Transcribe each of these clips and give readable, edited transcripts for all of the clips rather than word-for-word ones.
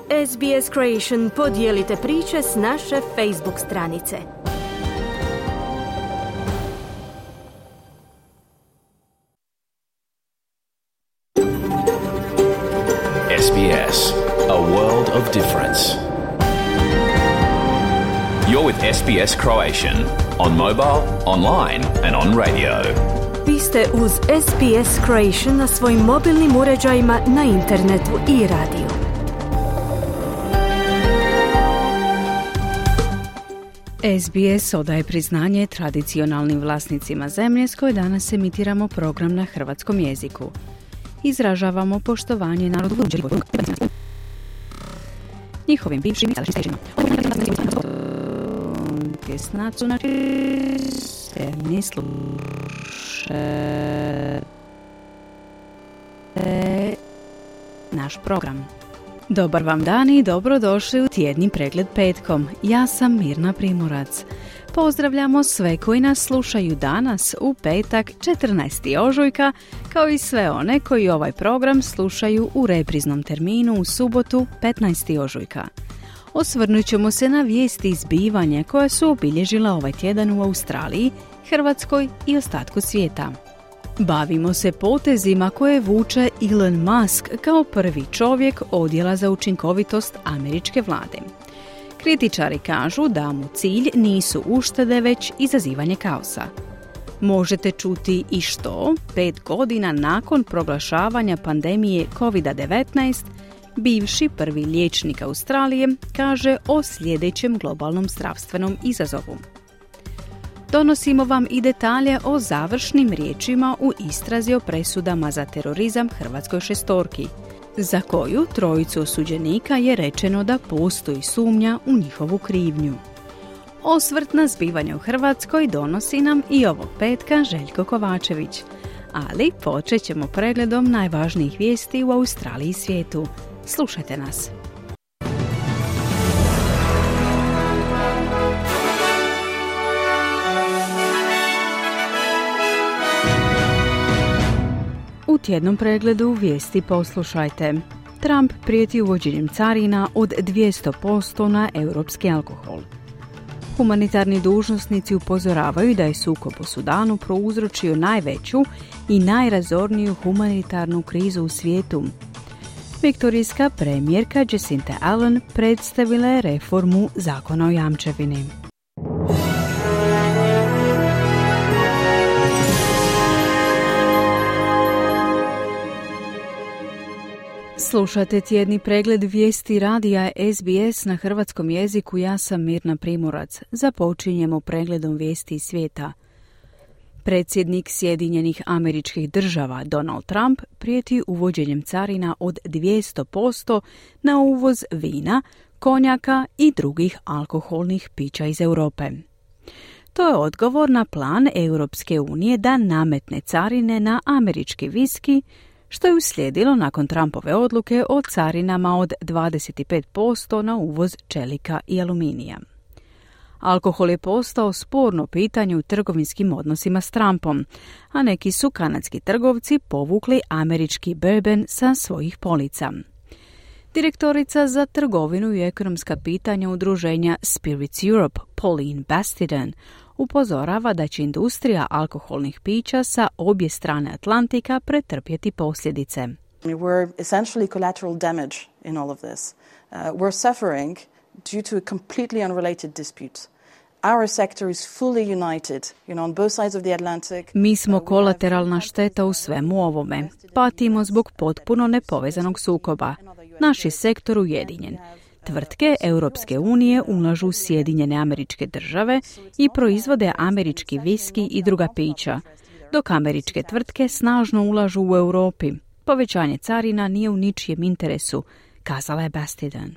SBS Creation podijelite priče s naše Facebook stranice. SBS, a world of difference. You're with SBS Croatian on mobile, online and on radio. Vi ste uz SBS Creation na svojim mobilnim uređajima, na internetu i radiju. SBS odaje priznanje tradicionalnim vlasnicima zemlje s koje danas emitiramo program na hrvatskom jeziku. Izražavamo poštovanje narodu njihovim bivšim i sadašnjim naš program. Dobar vam dan i dobrodošli u tjedni pregled petkom. Ja sam Mirna Primorac. Pozdravljamo sve koji nas slušaju danas u petak 14. ožujka, kao i sve one koji ovaj program slušaju u repriznom terminu u subotu 15. ožujka. Osvrnut ćemo se na vijesti i zbivanja koja su obilježila ovaj tjedan u Australiji, Hrvatskoj i ostatku svijeta. Bavimo se potezima koje vuče Elon Musk kao prvi čovjek odjela za učinkovitost američke vlade. Kritičari kažu da mu cilj nisu uštede, već izazivanje kaosa. Možete čuti i što 5 godina nakon proglašavanja pandemije COVID-19 bivši prvi liječnik Australije kaže o sljedećem globalnom zdravstvenom izazovu. Donosimo vam i detalje o završnim riječima u istrazi o presudama za terorizam hrvatskoj šestorki, za koju trojicu osuđenika je rečeno da postoji sumnja u njihovu krivnju. Osvrt na zbivanja u Hrvatskoj donosi nam i ovog petka Željko Kovačević, ali počet ćemo pregledom najvažnijih vijesti u Australiji i svijetu. Slušajte nas. U tjednom pregledu vijesti poslušajte. Trump prijeti uvođenjem carina od 200% na europski alkohol. Humanitarni dužnosnici upozoravaju da je sukob u Sudanu prouzročio najveću i najrazorniju humanitarnu krizu u svijetu. Viktorijska premijerka Jacinta Ardern predstavila je reformu zakona o jamčevini. Slušate tjedni pregled vijesti radija SBS na hrvatskom jeziku. Ja sam Mirna Primorac. Započinjemo pregledom vijesti iz svijeta. Predsjednik Sjedinjenih Američkih Država Donald Trump prijeti uvođenjem carina od 200% na uvoz vina, konjaka i drugih alkoholnih pića iz Europe. To je odgovor na plan Europske unije da nametne carine na američki viski, što je uslijedilo nakon Trumpove odluke o carinama od 25% na uvoz čelika i aluminija. Alkohol je postao sporno pitanje u trgovinskim odnosima s Trumpom, a neki su kanadski trgovci povukli američki bourbon sa svojih polica. Direktorica za trgovinu i ekonomska pitanja udruženja Spirits Europe, Pauline Bastiden, upozorava da će industrija alkoholnih pića sa obje strane Atlantika pretrpjeti posljedice. We're essentially collateral damage in all of this. We're suffering due to a completely unrelated dispute. Our sector is fully united, on both sides of the Atlantic. Mi smo kolateralna šteta u svemu ovome. Patimo zbog potpuno nepovezanog sukoba. Naš je sektor ujedinjen. Tvrtke Europske unije ulažu u Sjedinjene Američke Države i proizvode američki viski i druga pića, dok američke tvrtke snažno ulažu u Europi. Povećanje carina nije u ničijem interesu, kazala je Bastiden.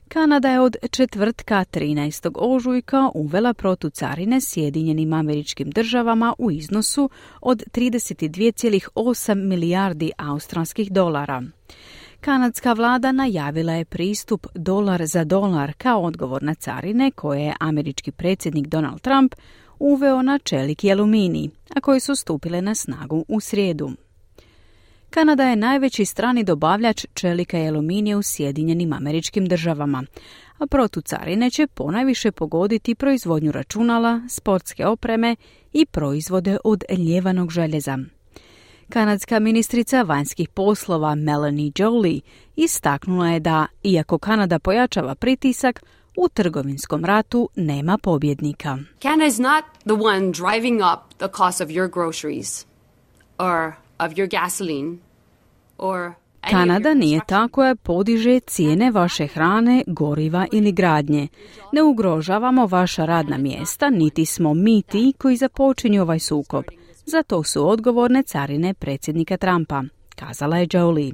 Kanada je od četvrtka 13. ožujka uvela protucarine Sjedinjenim Američkim Državama u iznosu od 32,8 milijardi australskih dolara. Kanadska vlada najavila je pristup dolar za dolar kao odgovor na carine koje je američki predsjednik Donald Trump uveo na čelik i aluminij, a koje su stupile na snagu u srijedu. Kanada je najveći strani dobavljač čelika i aluminija u Sjedinjenim Američkim Državama, a protucarine će ponajviše pogoditi proizvodnju računala, sportske opreme i proizvode od ljevanog željeza. Kanadska ministrica vanjskih poslova Melanie Joly istaknula je da, iako Kanada pojačava pritisak, u trgovinskom ratu nema pobjednika. Canada is not the one driving up the cost of your groceries or of your gasoline or Kanada nije ta koja podiže cijene vaše hrane, goriva ili gradnje. Ne ugrožavamo vaša radna mjesta, niti smo mi ti koji započinju ovaj sukob. Za to su odgovorne carine predsjednika Trumpa, kazala je Joly.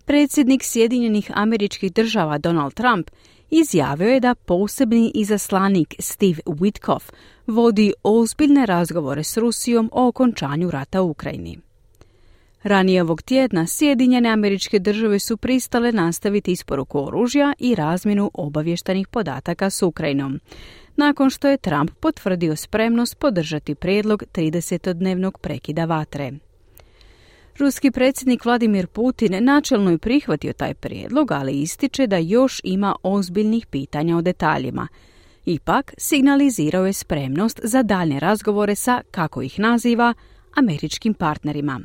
Predsjednik Sjedinjenih Američkih Država Donald Trump izjavio je da posebni izaslanik Steve Witkoff vodi ozbiljne razgovore s Rusijom o okončanju rata u Ukrajini. Ranije ovog tjedna Sjedinjene Američke Države su pristale nastaviti isporuku oružja i razmjenu obavještajnih podataka s Ukrajinom, nakon što je Trump potvrdio spremnost podržati prijedlog 30-dnevnog prekida vatre. Ruski predsjednik Vladimir Putin načelno je prihvatio taj prijedlog, ali ističe da još ima ozbiljnih pitanja o detaljima. Ipak, signalizirao je spremnost za daljnje razgovore sa, kako ih naziva, američkim partnerima.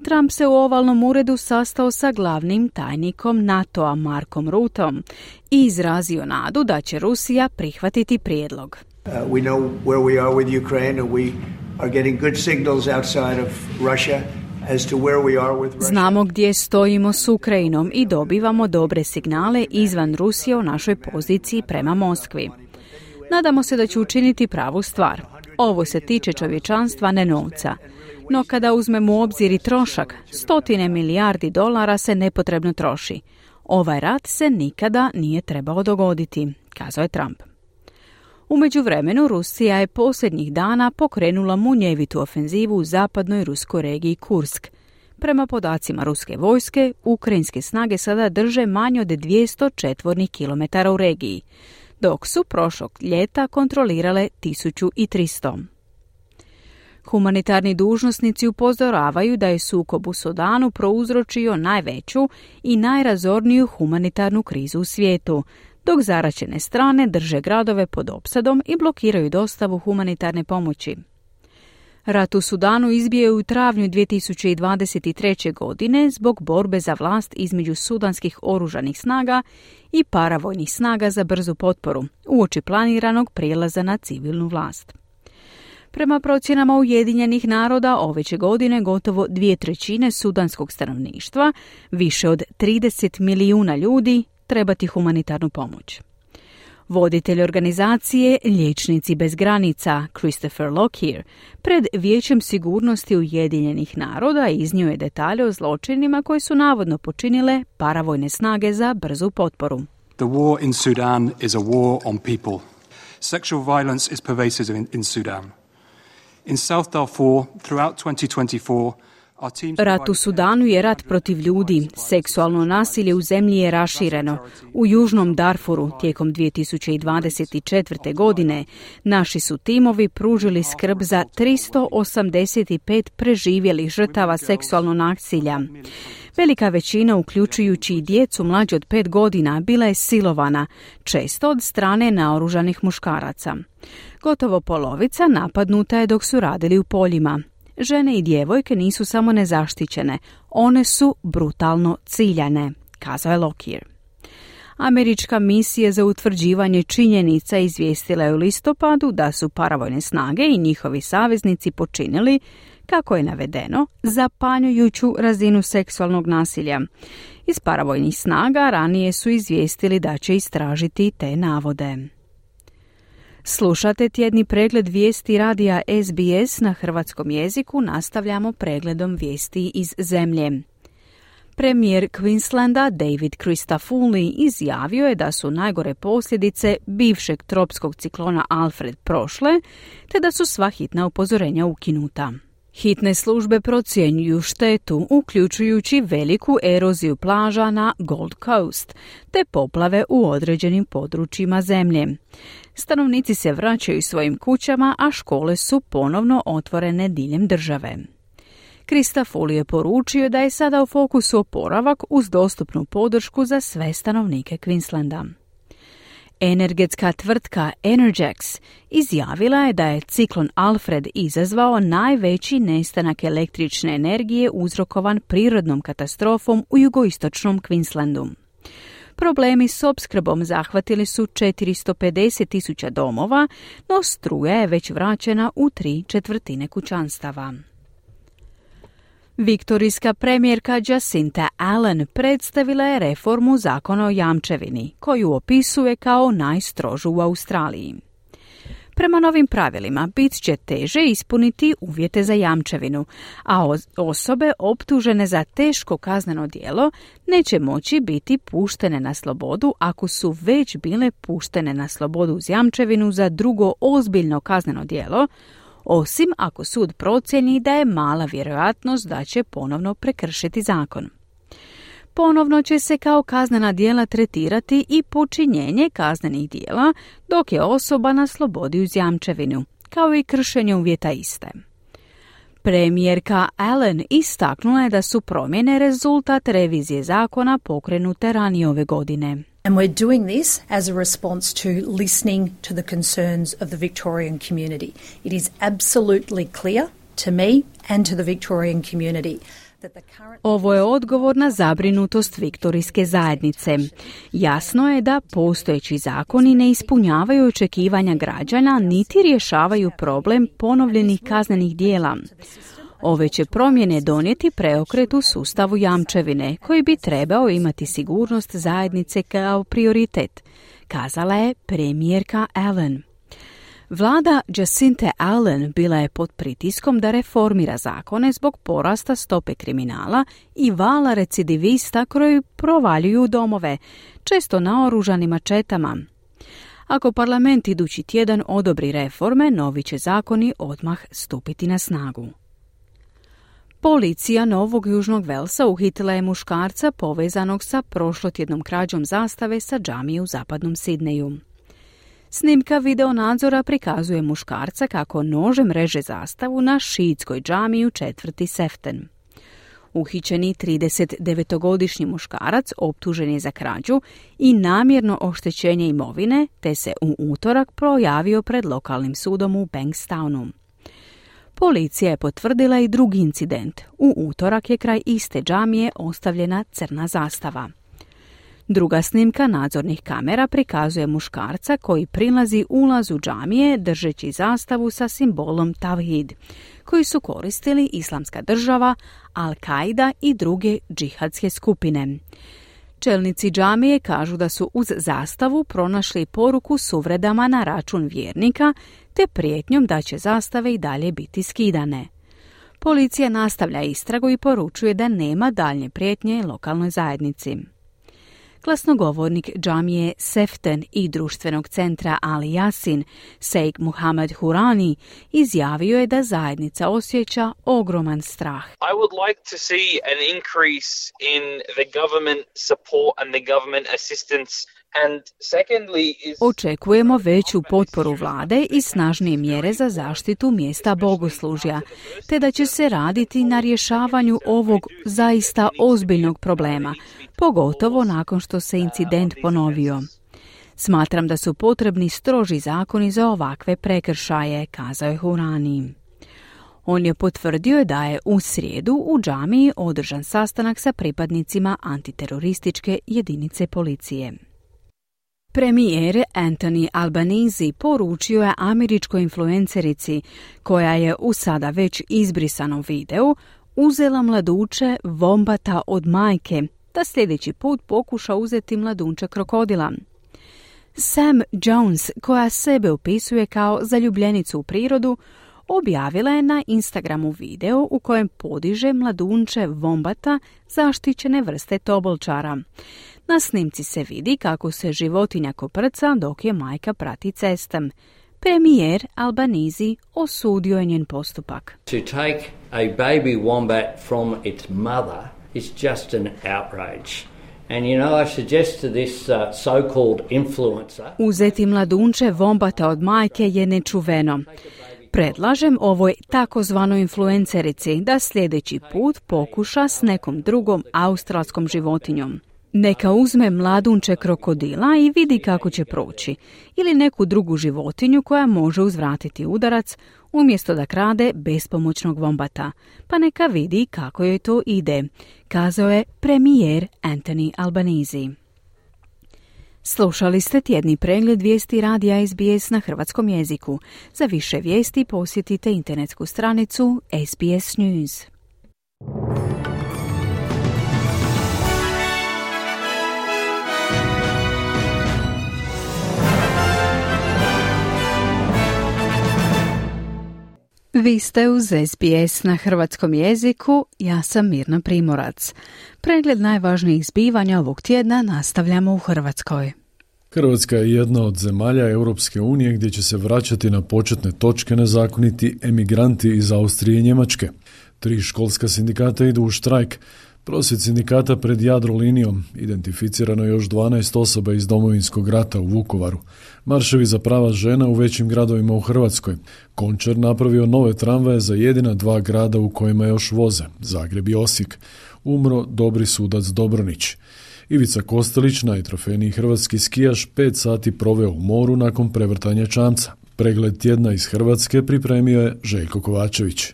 Trump se u ovalnom uredu sastao sa glavnim tajnikom NATO-a Markom Rutteom i izrazio nadu da će Rusija prihvatiti prijedlog. We know where we are with Ukraine and we are getting good signals outside of Russia as to where we are with Russia. Znamo gdje stojimo s Ukrajinom i dobivamo dobre signale izvan Rusije o našoj poziciji prema Moskvi. Nadamo se da će učiniti pravu stvar. Ovo se tiče čovječanstva, ne novca. No kada uzmemo u obzir i trošak, $100 milijardi se nepotrebno troši. Ovaj rat se nikada nije trebao dogoditi, kazao je Trump. U međuvremenu Rusija je posljednjih dana pokrenula munjevitu ofenzivu u zapadnoj ruskoj regiji Kursk. Prema podacima ruske vojske, ukrajinske snage sada drže manje od 200 četvornih kilometara u regiji, dok su prošlog ljeta kontrolirale 1300. Humanitarni dužnosnici upozoravaju da je sukob u Sudanu prouzročio najveću i najrazorniju humanitarnu krizu u svijetu, dok zaraćene strane drže gradove pod opsadom i blokiraju dostavu humanitarne pomoći. Rat u Sudanu izbio je u travnju 2023. godine zbog borbe za vlast između sudanskih oružanih snaga i paravojnih snaga za brzu potporu, uoči planiranog prijelaza na civilnu vlast. Prema procjenama Ujedinjenih naroda, ove će godine gotovo 2/3 sudanskog stanovništva, više od 30 milijuna ljudi, trebati humanitarnu pomoć. Voditelj organizacije Liječnici bez granica, Christopher Lockyer, pred Vijećem sigurnosti Ujedinjenih naroda iznio je detalje o zločinima koje su navodno počinile paravojne snage za brzu potporu. The war in Sudan is a war on people. Sexual violence is pervasive in Sudan. In South Darfur, throughout 2024, rat u Sudanu je rat protiv ljudi. Seksualno nasilje u zemlji je rašireno. U Južnom Darfuru tijekom 2024. godine naši su timovi pružili skrb za 385 preživjelih žrtava seksualnog nasilja. Velika većina, uključujući i djecu mlađe od 5 godina, bila je silovana, često od strane naoružanih muškaraca. Gotovo polovica napadnuta je dok su radili u poljima. Žene i djevojke nisu samo nezaštićene, one su brutalno ciljane, kazao je Lockyer. Američka misija za utvrđivanje činjenica izvijestila je u listopadu da su paravojne snage i njihovi saveznici počinili, kako je navedeno, zapanjujuću razinu seksualnog nasilja. Iz paravojnih snaga ranije su izvijestili da će istražiti te navode. Slušate tjedni pregled vijesti radija SBS na hrvatskom jeziku, nastavljamo pregledom vijesti iz zemlje. Premijer Queenslanda David Christodoulou izjavio je da su najgore posljedice bivšeg tropskog ciklona Alfred prošle, te da su sva hitna upozorenja ukinuta. Hitne službe procjenjuju štetu, uključujući veliku eroziju plaža na Gold Coast, te poplave u određenim područjima zemlje. Stanovnici se vraćaju svojim kućama, a škole su ponovno otvorene diljem države. Christofouli je poručio da je sada u fokusu oporavak uz dostupnu podršku za sve stanovnike Queenslanda. Energetska tvrtka Energex izjavila je da je ciklon Alfred izazvao najveći nestanak električne energije uzrokovan prirodnom katastrofom u jugoistočnom Queenslandu. Problemi s opskrbom zahvatili su 450.000 domova, no struja je već vraćena u 3/4 kućanstava. Viktorijska premijerka Jacinta Allen predstavila je reformu zakona o jamčevini, koju opisuje kao najstrožu u Australiji. Prema novim pravilima bit će teže ispuniti uvjete za jamčevinu, a osobe optužene za teško kazneno djelo neće moći biti puštene na slobodu ako su već bile puštene na slobodu uz jamčevinu za drugo ozbiljno kazneno djelo, osim ako sud procijeni da je mala vjerojatnost da će ponovno prekršiti zakon. Ponovno će se kao kaznena djela tretirati i počinjenje kaznenih djela dok je osoba na slobodi uz jamčevinu, kao i kršenje uvjeta iste. Premijerka Allen istaknula je da su promjene rezultat revizije zakona pokrenute ranije ove godine. And we're doing this as a response to listening to the concerns of the Victorian community. It is absolutely clear to me and to the Victorian community. Ovo je odgovor na zabrinutost viktorijske zajednice. Jasno je da postojeći zakoni ne ispunjavaju očekivanja građana niti rješavaju problem ponovljenih kaznenih djela. Ove će promjene donijeti preokret u sustavu jamčevine, koji bi trebao imati sigurnost zajednice kao prioritet, kazala je premijerka Allen. Vlada Jacinta Allen bila je pod pritiskom da reformira zakone zbog porasta stope kriminala i vala recidivista koji provaljuju domove, često naoružanim mačetama. Ako parlament idući tjedan odobri reforme, novi će zakoni odmah stupiti na snagu. Policija Novog Južnog Velsa uhitila je muškarca povezanog sa prošlotjednom krađom zastave sa džamije u zapadnom Sidneju. Snimka videonadzora prikazuje muškarca kako nožem reže zastavu na šiitskoj džamiji u četvrti Sefton. Uhićeni 39-godišnji muškarac optužen je za krađu i namjerno oštećenje imovine, te se u utorak projavio pred lokalnim sudom u Bankstownu. Policija je potvrdila i drugi incident. U utorak je kraj iste džamije ostavljena crna zastava. Druga snimka nadzornih kamera prikazuje muškarca koji prilazi ulazu džamije držeći zastavu sa simbolom Tavhid, koji su koristili Islamska država, Al-Qaida i druge džihadske skupine. Čelnici džamije kažu da su uz zastavu pronašli poruku s uvredama na račun vjernika te prijetnjom da će zastave i dalje biti skidane. Policija nastavlja istragu i poručuje da nema daljnje prijetnje lokalnoj zajednici. Glasnogovornik džamije Sefton i društvenog centra Ali Yasin, Sheikh Muhammad Hurani, izjavio je da zajednica osjeća ogroman strah. I would like to see an increase in the government support and the government assistance. Očekujemo veću potporu vlade i snažnije mjere za zaštitu mjesta bogoslužja, te da će se raditi na rješavanju ovog zaista ozbiljnog problema, pogotovo nakon što se incident ponovio. Smatram da su potrebni stroži zakoni za ovakve prekršaje, kazao je Hurani. On je potvrdio da je u srijedu u džamiji održan sastanak sa pripadnicima antiterorističke jedinice policije. Premijer Anthony Albanese poručio je američkoj influencerici, koja je u sada već izbrisanom videu uzela mladuče vombata od majke, da sljedeći put pokuša uzeti mladunče krokodila. Sam Jones, koja sebe opisuje kao zaljubljenicu u prirodu, objavila je na Instagramu video u kojem podiže mladunče vombata zaštićene vrste tobolčara. Na snimci se vidi kako se životinja koprca dok je majka prati cestom. Premijer Albanese osudio je njen postupak. To take a baby wombat from its mother is just an outrage. And you know, I suggest to this so-called influencer. Uzeti mladunče vombata od majke je nečuveno. Predlažem ovoj takozvanoj influencerici da sljedeći put pokuša s nekom drugom australskom životinjom. Neka uzme mladunče krokodila i vidi kako će proći, ili neku drugu životinju koja može uzvratiti udarac umjesto da krade bespomoćnog vombata, pa neka vidi kako joj to ide, kazao je premijer Anthony Albanese. Slušali ste tjedni pregled vijesti radija SBS na hrvatskom jeziku. Za više vijesti posjetite internetsku stranicu SBS News. Vi ste uz SBS na hrvatskom jeziku, ja sam Mirna Primorac. Pregled najvažnijih zbivanja ovog tjedna nastavljamo u Hrvatskoj. Hrvatska je jedna od zemalja Europske unije gdje će se vraćati na početne točke nezakoniti emigranti iz Austrije i Njemačke. 3 školska sindikata idu u štrajk. Prosvjed sindikata pred Jadrolinijom, identificirano još 12 osoba iz Domovinskog rata u Vukovaru. Marševi za prava žena u većim gradovima u Hrvatskoj. Končar napravio nove tramvaje za jedina 2 grada u kojima još voze, Zagreb i Osijek. Umro dobri sudac Dobronić. Ivica Kostelić, najtrofejniji hrvatski skijaš, 5 sati proveo u moru nakon prevrtanja čamca. Pregled tjedna iz Hrvatske pripremio je Željko Kovačević.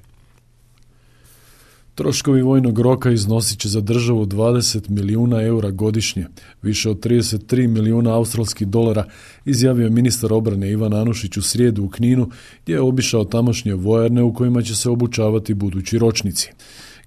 Troškovi vojnog roka iznosit će za državu 20 milijuna eura godišnje, više od 33 milijuna australskih dolara, izjavio ministar obrane Ivan Anušić u srijedu u Kninu, gdje je obišao tamošnje vojarne u kojima će se obučavati budući ročnici.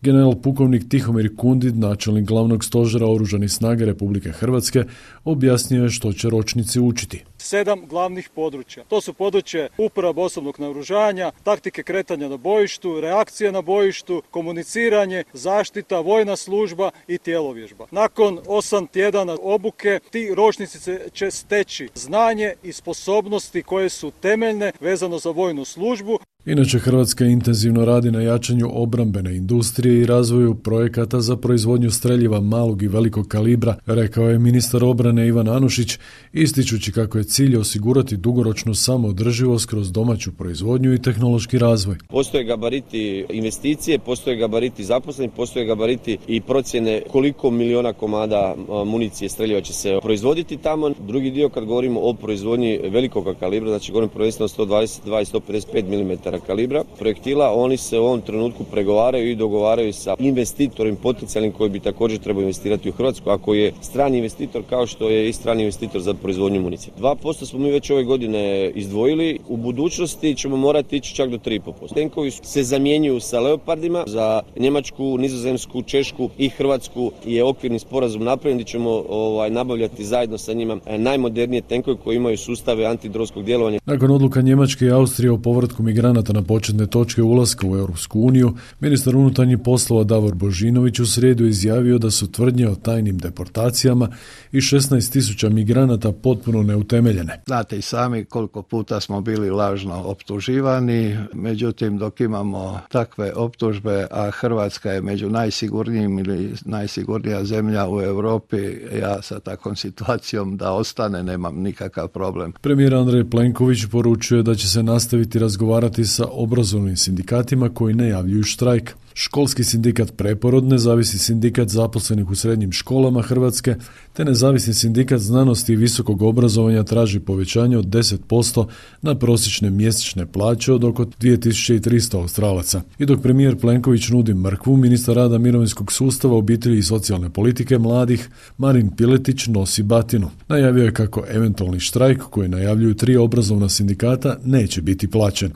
General pukovnik Tihomir Kundid, načelnik glavnog stožera Oružanih snaga Republike Hrvatske, objasnio je što će ročnici učiti. 7 glavnih područja. To su područje uporaba osobnog naoružanja, taktike kretanja na bojištu, reakcije na bojištu, komuniciranje, zaštita, vojna služba i tjelovježba. Nakon 8 tjedana obuke ti ročnici će steći znanje i sposobnosti koje su temeljne vezano za vojnu službu. Inače, Hrvatska intenzivno radi na jačanju obrambene industrije i razvoju projekata za proizvodnju streljiva malog i velikog kalibra, rekao je ministar obrane Ivan Anušić, ističući kako je cilj osigurati dugoročnu samoodrživost kroz domaću proizvodnju i tehnološki razvoj. Postoje gabariti investicije, postoje gabariti zaposlenih, postoje gabariti i procjene koliko miliona komada municije streljiva će se proizvoditi tamo. Drugi dio, kad govorimo o proizvodnji velikog kalibra, znači govorimo prvenstveno 122 i 155 mm kalibra projektila, oni se u ovom trenutku pregovaraju i dogovaraju sa investitorom potencijalnim koji bi također trebao investirati u Hrvatsku, ako je strani investitor kao što je i strani investitor za proizvodnju municije. 2% smo mi već ove godine izdvojili, u budućnosti ćemo morati ići čak do 3,5%. Tenkovi se zamjenjuju sa Leopardima, za Njemačku, Nizozemsku, Češku i Hrvatsku je okvirni sporazum napravljen, gdje ćemo nabavljati zajedno sa njima najmodernije tenkove koji imaju sustave antidronskog djelovanja. Nakon odluka Njemačke i Austrije o povratku migranata na početne točke ulaska u Europsku uniju, ministar unutarnjih poslova Davor Božinović u srijedu izjavio da su tvrdnje o tajnim deportacijama i 16.000 migranata potpuno neutemeljene. Znate i sami koliko puta smo bili lažno optuživani, međutim dok imamo takve optužbe, a Hrvatska je među najsigurnijim ili najsigurnija zemlja u Europi, ja sa takvom situacijom da ostane nemam nikakav problem. Premijer Andrej Plenković poručuje da će se nastaviti razgovarati sa obrazovnim sindikatima koji najavljuju štrajk. Školski sindikat Preporod, nezavisni sindikat zaposlenih u srednjim školama Hrvatske te nezavisni sindikat znanosti i visokog obrazovanja traži povećanje od 10% na prosječne mjesečne plaće od oko 2300 Australaca. I dok premijer Plenković nudi mrkvu, ministar rada, mirovinskog sustava, obitelji i socijalne politike mladih Marin Piletić nosi batinu. Najavio je kako eventualni štrajk koji najavljuju 3 obrazovna sindikata neće biti plaćen.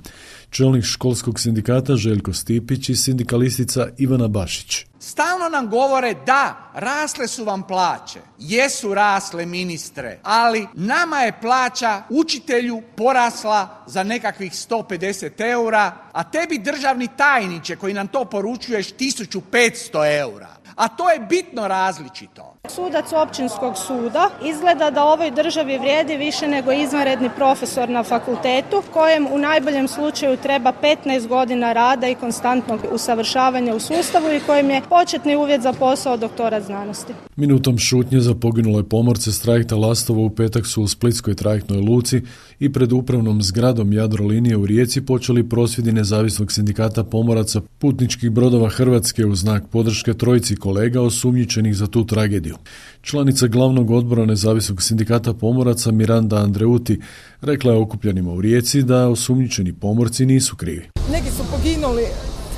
Čelnik školskog sindikata Željko Stipić i sindikalistica Ivana Bašić. Stalno nam govore da, rasle su vam plaće, jesu rasle ministre, ali nama je plaća učitelju porasla za nekakvih 150 eura, a tebi državni tajniče koji nam to poručuješ 1500 eura. A to je bitno različito. Sudac općinskog suda izgleda da ovoj državi vrijedi više nego izvanredni profesor na fakultetu, kojem u najboljem slučaju treba 15 godina rada i konstantnog usavršavanja u sustavu i kojem je početni uvjet za posao doktora znanosti. Minutom šutnje za poginule pomorce s trajekta Lastovo u petak su u splitskoj trajektnoj luci i pred upravnom zgradom Jadrolinije u Rijeci počeli prosvjedi Nezavisnog sindikata pomoraca putničkih brodova Hrvatske u znak podrške trojici kolega osumnjičenih za tu tragediju. Članica glavnog odbora Nezavisnog sindikata pomoraca Miranda Andreuti rekla je okupljenima u Rijeci da osumnjičeni pomorci nisu krivi. Neki su poginuli,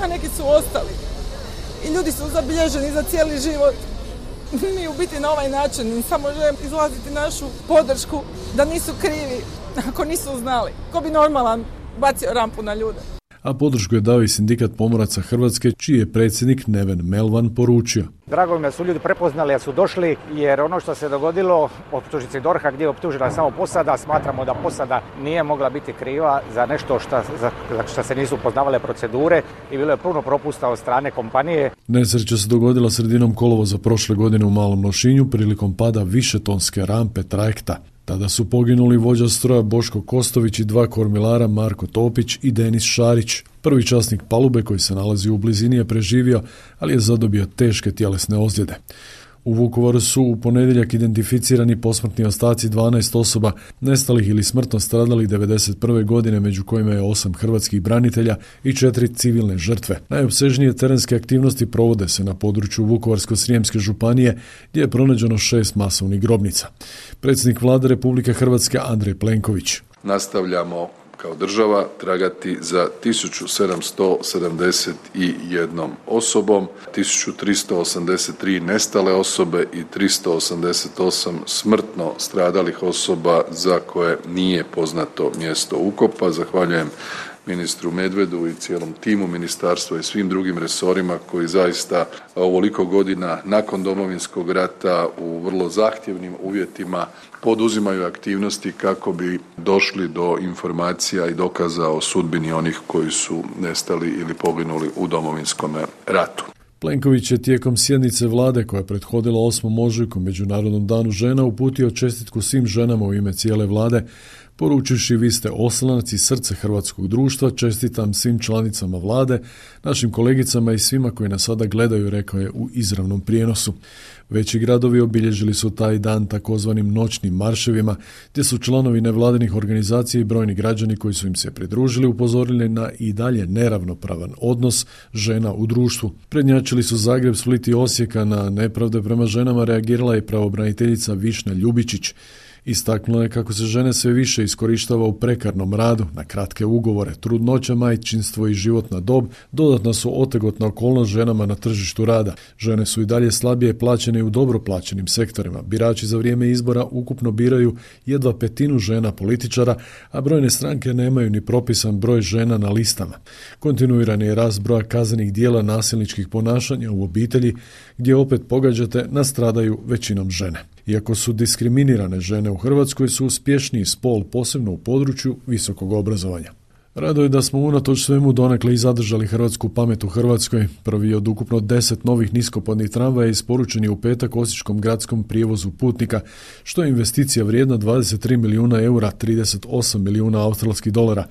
a neki su ostali. I ljudi su zabilježeni za cijeli život. Mi u biti na ovaj način samo želim izlaziti našu podršku da nisu krivi ako nisu znali. Ko bi normalan bacio rampu na ljude. A podršku je dao i sindikat pomoraca Hrvatske, čiji je predsjednik Neven Melvan poručio. Drago mi da su ljudi prepoznali, da su došli, jer ono što se dogodilo, optužnici DORH-a gdje je optužena samo posada, smatramo da posada nije mogla biti kriva za nešto za što se nisu poznavale procedure i bilo je puno propusta od strane kompanije. Nesreća se dogodila sredinom kolovoza prošle godine u Malom Lošinju prilikom pada višetonske rampe trajekta. Tada su poginuli vođa stroja Boško Kostović i 2 kormilara Marko Topić i Denis Šarić. Prvi časnik palube koji se nalazi u blizini je preživio, ali je zadobio teške tjelesne ozljede. U Vukovaru su u ponedjeljak identificirani posmrtni ostaci 12 osoba nestalih ili smrtno stradalih 1991. godine, među kojima je 8 hrvatskih branitelja i 4 civilne žrtve. Najopsežnije terenske aktivnosti provode se na području Vukovarsko-srijemske županije, gdje je pronađeno 6 masovnih grobnica. Predsjednik Vlade Republike Hrvatske Andrej Plenković. Nastavljamo kao država tragati za 1771 osobom, 1383 nestale osobe i 388 smrtno stradalih osoba za koje nije poznato mjesto ukopa. Zahvaljujem ministru Medvedu i cijelom timu ministarstva i svim drugim resorima koji zaista ovoliko godina nakon Domovinskog rata u vrlo zahtjevnim uvjetima poduzimaju aktivnosti kako bi došli do informacija i dokaza o sudbini onih koji su nestali ili poginuli u Domovinskom ratu. Plenković je tijekom sjednice vlade koja je prethodila 8. ožujku Međunarodnom danu žena uputio čestitku svim ženama u ime cijele vlade, poručivši vi ste oslonac i srce hrvatskog društva, čestitam svim članicama vlade, našim kolegicama i svima koji nas sada gledaju, rekao je u izravnom prijenosu. Veći gradovi obilježili su taj dan takozvanim noćnim marševima, gdje su članovi nevladinih organizacija i brojni građani koji su im se pridružili upozorili na i dalje neravnopravan odnos žena u društvu. Prednjačili su Zagreb, Split i Osijeka. Na nepravde prema ženama reagirala je pravobraniteljica Višnja Ljubičić. Istaknula je kako se žene sve više iskorištava u prekarnom radu, na kratke ugovore, trudnoća, majčinstvo i životna dob dodatna su otegotna okolnost ženama na tržištu rada. Žene su i dalje slabije plaćene u dobro plaćenim sektorima. Birači za vrijeme izbora ukupno biraju jedva 1/5 žena političara, a brojne stranke nemaju ni propisan broj žena na listama. Kontinuirani je rast broja kaznenih djela nasilničkih ponašanja u obitelji, gdje opet pogađate nastradaju većinom žene. Iako su diskriminirane žene u Hrvatskoj su uspješniji spol, posebno u području visokog obrazovanja. Rado je da smo unatoč svemu donekle i zadržali hrvatsku pamet u Hrvatskoj. Prvi od ukupno 10 novih niskopodnih tramvaja isporučen je u petak osječkom gradskom prijevozu putnika, što je investicija vrijedna 23 milijuna eura, 38 milijuna australskih dolara.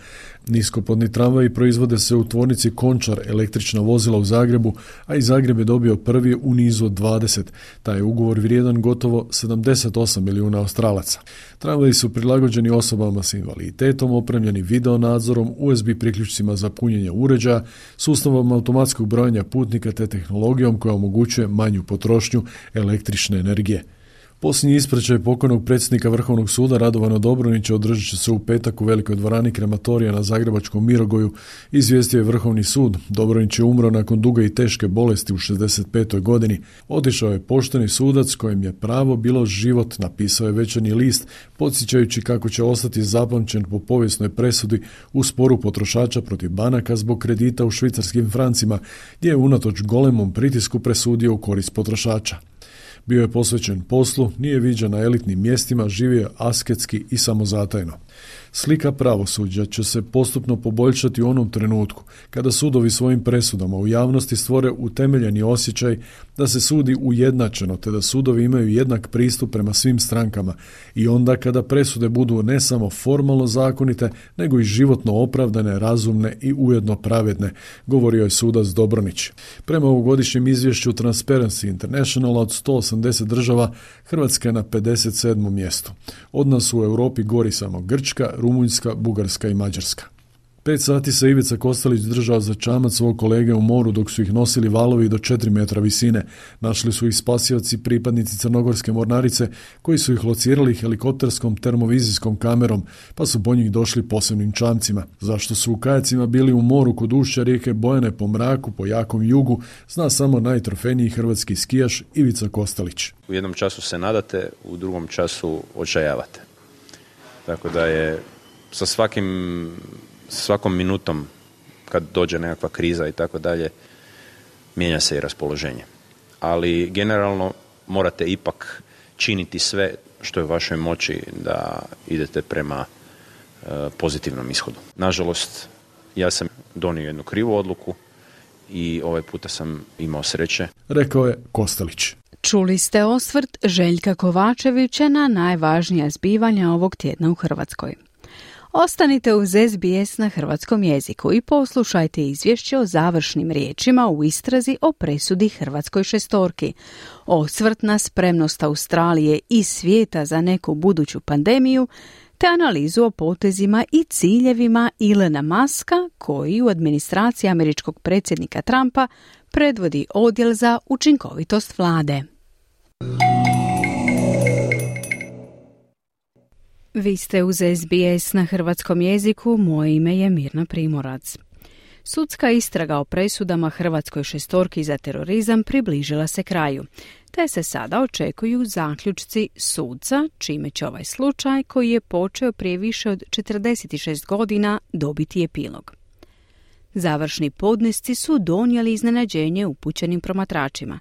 Niskopodni tramvaji proizvode se u tvornici Končar, električna vozila u Zagrebu, a i Zagreb je dobio prvi u nizu od 20. Taj je ugovor vrijedan gotovo 78 milijuna Australaca. Tramvaji su prilagođeni osobama s invaliditetom, opremljeni video nadzorom, USB priključcima za punjenje uređaja, sustavom automatskog brojanja putnika te tehnologijom koja omogućuje manju potrošnju električne energije. Posljednji ispraćaj pokojnog predsjednika Vrhovnog suda Radovana Dobronića održat će se u petak u velikoj dvorani krematorija na zagrebačkom Mirogoju, izvijestio je Vrhovni sud. Dobronić je umro nakon duge i teške bolesti u 65. godini. Otišao je pošteni sudac kojem je pravo bilo život, napisao je Večernji list, podsjećajući kako će ostati zapamćen po povijesnoj presudi u sporu potrošača protiv banaka zbog kredita u švicarskim francima, gdje je unatoč golemom pritisku presudio u korist potrošača. Bio je posvećen poslu, nije viđen na elitnim mjestima, živio asketski i samozatajno. Slika pravosuđa će se postupno poboljšati u onom trenutku kada sudovi svojim presudama u javnosti stvore utemeljeni osjećaj da se sudi ujednačeno te da sudovi imaju jednak pristup prema svim strankama i onda kada presude budu ne samo formalno zakonite, nego i životno opravdane, razumne i ujedno pravedne, govorio je sudac Dobronić. Prema ovogodišnjem izvješću Transparency International od 180 država, Hrvatska je na 57. mjestu. Od nas u Europi gori samo Grčka, Rumunjska, Bugarska i Mađarska. 5 sati se Ivica Kostelić držao za čamac svog kolege u moru dok su ih nosili valovi do 4 metra visine. Našli su ih spasioci pripadnici Crnogorske mornarice koji su ih locirali helikopterskom termovizijskom kamerom pa su po njih došli posebnim čamcima. Zašto su u kajacima bili u moru kod ušća rijeke Bojane po mraku, po jakom jugu, zna samo najtrofejniji hrvatski skijaš Ivica Kostelić. U jednom času se nadate, u drugom času očajavate. Tako da je sa svakom minutom kad dođe nekakva kriza i tako dalje, mijenja se i raspoloženje. Ali generalno morate ipak činiti sve što je u vašoj moći da idete prema pozitivnom ishodu. Nažalost, ja sam donio jednu krivu odluku i ovaj puta sam imao sreće. Rekao je Kostelić. Čuli ste osvrt Željka Kovačevića na najvažnija zbivanja ovog tjedna u Hrvatskoj. Ostanite uz SBS na hrvatskom jeziku i poslušajte izvješće o završnim riječima u istrazi o presudi Hrvatskoj šestorki, osvrt na spremnost Australije i svijeta za neku buduću pandemiju, te analizu o potezima i ciljevima Elona Muska, koji u administraciji američkog predsjednika Trumpa predvodi odjel za učinkovitost vlade. Vi ste uz SBS na hrvatskom jeziku, moje ime je Mirna Primorac. Sudska istraga o presudama Hrvatskoj šestorki za terorizam približila se kraju, te se sada očekuju zaključci sudca, čime će ovaj slučaj, koji je počeo prije više od 46 godina, dobiti epilog. Završni podnesci su donijeli iznenađenje upućenim promatračima,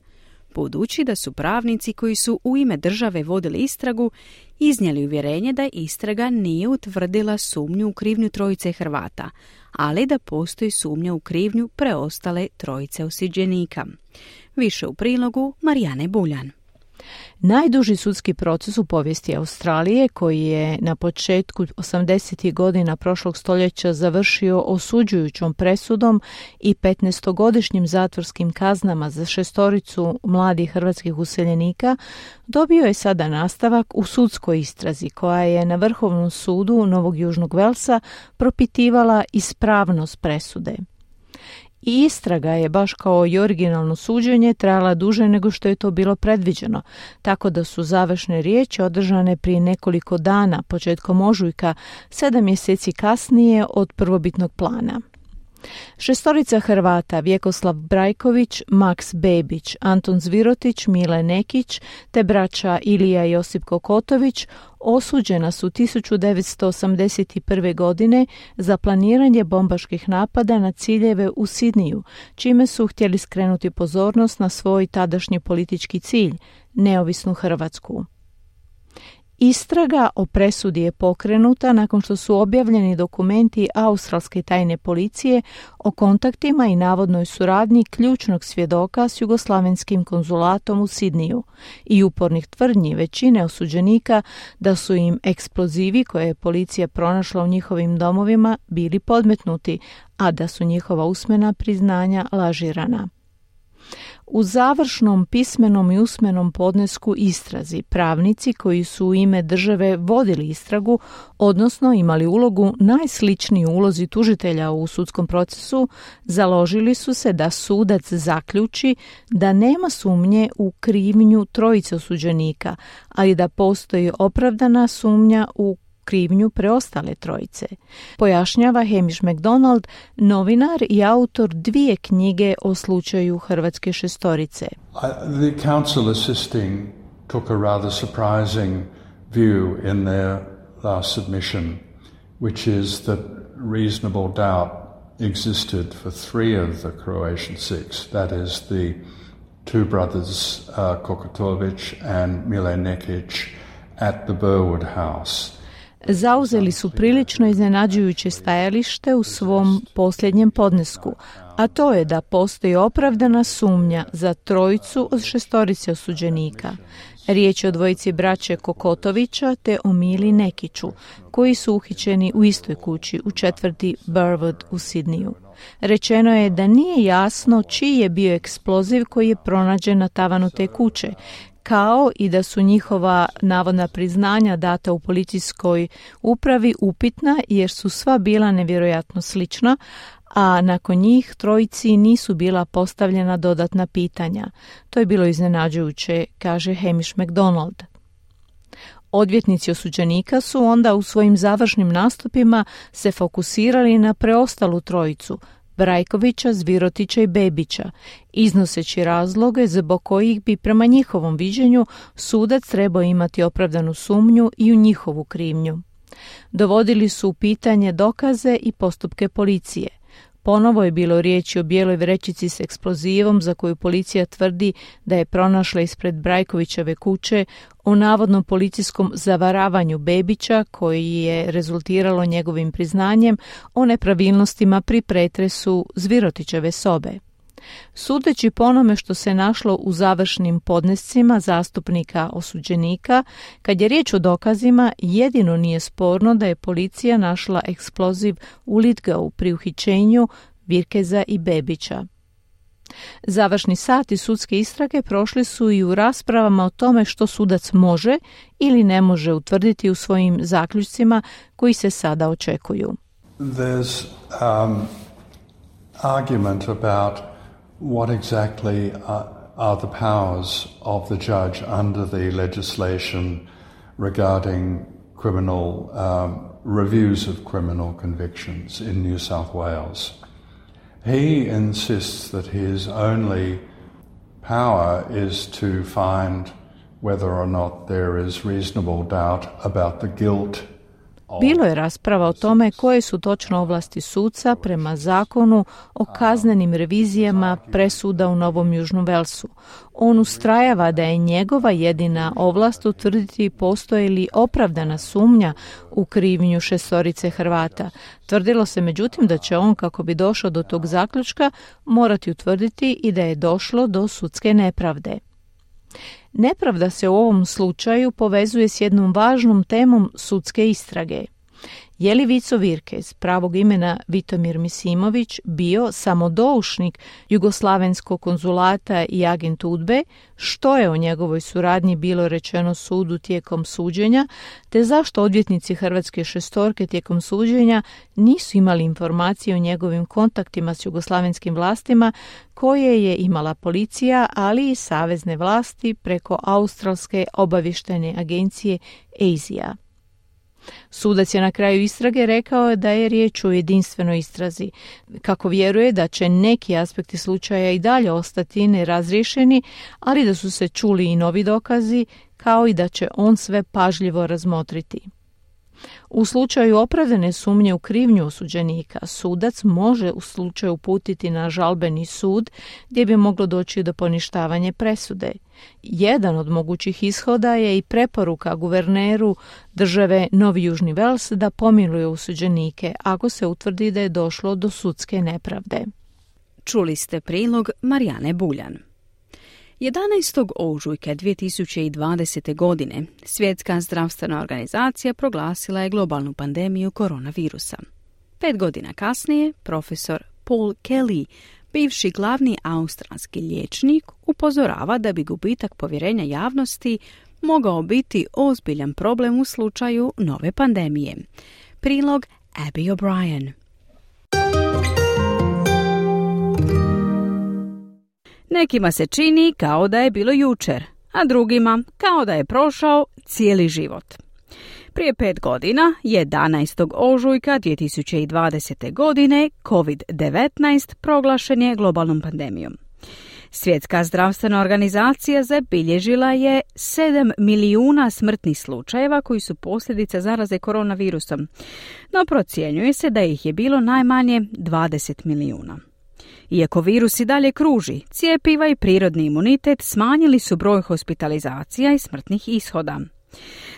budući da su pravnici koji su u ime države vodili istragu iznijeli uvjerenje da istraga nije utvrdila sumnju u krivnju trojice Hrvata, ali da postoji sumnja u krivnju preostale trojice osuđenika. Više u prilogu Marijane Buljan. Najduži sudski proces u povijesti Australije, koji je na početku 80. godina prošlog stoljeća završio osuđujućom presudom i 15-godišnjim zatvorskim kaznama za 6 mladih hrvatskih useljenika, dobio je sada nastavak u sudskoj istrazi koja je na Vrhovnom sudu Novog Južnog Velsa propitivala ispravnost presude. I istraga je, baš kao i originalno suđenje, trajala duže nego što je to bilo predviđeno, tako da su završne riječi održane prije nekoliko dana, početkom ožujka, 7 mjeseci kasnije od prvobitnog plana. 6 Hrvata, Vjekoslav Brajković, Maks Bebić, Anton Zvirotić, Mile Nekić te braća Ilija i Josip Kokotović osuđena su 1981. godine za planiranje bombaških napada na ciljeve u Sidniju, čime su htjeli skrenuti pozornost na svoj tadašnji politički cilj, neovisnu Hrvatsku. Istraga o presudi je pokrenuta nakon što su objavljeni dokumenti australske tajne policije o kontaktima i navodnoj suradnji ključnog svjedoka s jugoslavenskim konzulatom u Sidniju i upornih tvrdnji većine osuđenika da su im eksplozivi koje je policija pronašla u njihovim domovima bili podmetnuti, a da su njihova usmena priznanja lažirana. U završnom pismenom i usmenom podnesku istrazi pravnici koji su u ime države vodili istragu, odnosno imali ulogu najsličniju ulozi tužitelja u sudskom procesu, založili su se da sudac zaključi da nema sumnje u krivnju trojice osuđenika, ali da postoji opravdana sumnja u krivnju preostale trojice, pojašnjava Hamish McDonald, novinar i autor 2 knjige o slučaju Hrvatske šestorice. The counsel assisting took a rather surprising view in their last submission, which is that reasonable doubt existed for 3 of the Croatian 6, that is the 2 brothers Kokotović and Mile Nekić at the Burwood house. zauzeli su prilično iznenađujuće stajalište u svom posljednjem podnesku, a to je da postoji opravdana sumnja za 3 od 6 osuđenika. Riječ je o 2 braće Kokotovića te o Mili Nekiću, koji su uhićeni u istoj kući u četvrti Burwood u Sidniju. Rečeno je da nije jasno čiji je bio eksploziv koji je pronađen na tavanu te kuće, kao i da su njihova navodna priznanja data u policijskoj upravi upitna jer su sva bila nevjerojatno slična, a nakon njih 3 nisu bila postavljena dodatna pitanja. To je bilo iznenađujuće, kaže Hamish MacDonald. Odvjetnici osuđenika su onda u svojim završnim nastupima se fokusirali na preostalu 3, Brajkovića, Zvirotića i Bebića, iznoseći razloge zbog kojih bi prema njihovom viđenju sudac trebao imati opravdanu sumnju i u njihovu krivnju. Dovodili su u pitanje dokaze i postupke policije. Ponovo je bilo riječi o bijeloj vrećici s eksplozivom za koju policija tvrdi da je pronašla ispred Brajkovićeve kuće, o navodnom policijskom zavaravanju Bebića koji je rezultiralo njegovim priznanjem o nepravilnostima pri pretresu Zvirotićeve sobe. Sudeći po onome što se našlo u završnim podnescima zastupnika osuđenika, kad je riječ o dokazima, jedino nije sporno da je policija našla eksploziv u Lithgowu pri uhićenju Virkeza i Bebića. Završni sati sudske istrage prošli su i u raspravama o tome što sudac može ili ne može utvrditi u svojim zaključcima koji se sada očekuju. There's argument about what exactly are the powers of the judge under the legislation regarding criminal reviews of criminal convictions in New South Wales. He insists that his only power is to find whether or not there is reasonable doubt about the guilt. Bilo je rasprava o tome koje su točno ovlasti suca prema zakonu o kaznenim revizijama presuda u Novom Južnom Velsu. On ustrajava da je njegova jedina ovlast utvrditi postoji li opravdana sumnja u krivnju 6 Hrvata. Tvrdilo se međutim da će on, kako bi došao do tog zaključka, morati utvrditi i da je došlo do sudske nepravde. Nepravda se u ovom slučaju povezuje s jednom važnom temom sudske istrage. Je li Vico Virkez, pravog imena Vitomir Misimović, bio samodoušnik Jugoslavenskog konzulata i agent UDBE, što je o njegovoj suradnji bilo rečeno sudu tijekom suđenja, te zašto odvjetnici Hrvatske 6 tijekom suđenja nisu imali informacije o njegovim kontaktima s jugoslavenskim vlastima koje je imala policija, ali i savezne vlasti preko australske obavještajne agencije ASIA. Sudac je na kraju istrage rekao da je riječ o jedinstvenoj istrazi, kako vjeruje da će neki aspekti slučaja i dalje ostati nerazriješeni, ali da su se čuli i novi dokazi, kao i da će on sve pažljivo razmotriti. U slučaju opravdane sumnje u krivnju osuđenika, sudac može u slučaju uputiti na žalbeni sud gdje bi moglo doći do poništavanja presude. Jedan od mogućih ishoda je i preporuka guverneru države Novi Južni Vels da pomiluje osuđenike ako se utvrdi da je došlo do sudske nepravde. Čuli ste prilog Marijane Buljan. 11. ožujka 2020. godine Svjetska zdravstvena organizacija proglasila je globalnu pandemiju koronavirusa. 5 godina kasnije, profesor Paul Kelly, bivši glavni australski liječnik, upozorava da bi gubitak povjerenja javnosti mogao biti ozbiljan problem u slučaju nove pandemije. Prilog Abby O'Brien. Nekima se čini kao da je bilo jučer, a drugima kao da je prošao cijeli život. Prije 5 godina, 11. ožujka 2020. godine, COVID-19 proglašen je globalnom pandemijom. Svjetska zdravstvena organizacija zabilježila je 7 milijuna smrtnih slučajeva koji su posljedica zaraze koronavirusom, no procjenjuje se da ih je bilo najmanje 20 milijuna. Iako virus i dalje kruži, cjepiva i prirodni imunitet smanjili su broj hospitalizacija i smrtnih ishoda.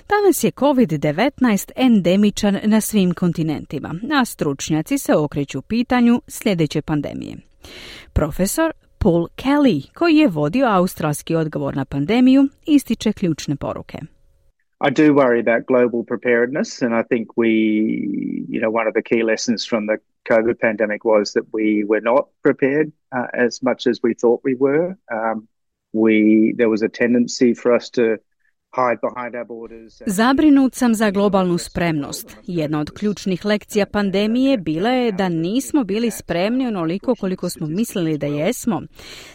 Danas je COVID-19 endemičan na svim kontinentima, a stručnjaci se okreću pitanju sljedeće pandemije. Profesor Paul Kelly, koji je vodio australski odgovor na pandemiju, ističe ključne poruke. I do worry about global preparedness, and I think one of the key lessons from the COVID pandemic was that we were not prepared as much as we thought we were. There was a tendency for us to hide behind our borders. Zabrinut sam za globalnu spremnost. Jedna od ključnih lekcija pandemije bila je da nismo bili spremni onoliko koliko smo mislili da jesmo.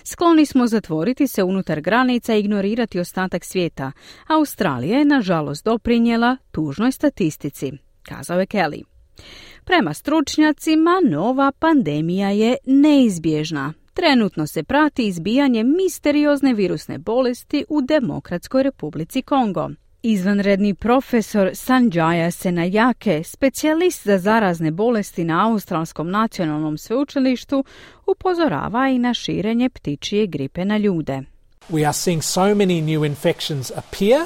Skloni smo zatvoriti se unutar granica i ignorirati ostatak svijeta. Australija je, nažalost, doprinijela tužnoj statistici, kazao je Kelly. Prema stručnjacima, nova pandemija je neizbježna. Trenutno se prati izbijanje misteriozne virusne bolesti u Demokratskoj Republici Kongo. Izvanredni profesor Sanjaya Senayake, specijalist za zarazne bolesti na Australskom nacionalnom sveučilištu, upozorava i na širenje ptičje gripe na ljude. We are seeing so many new infections appear.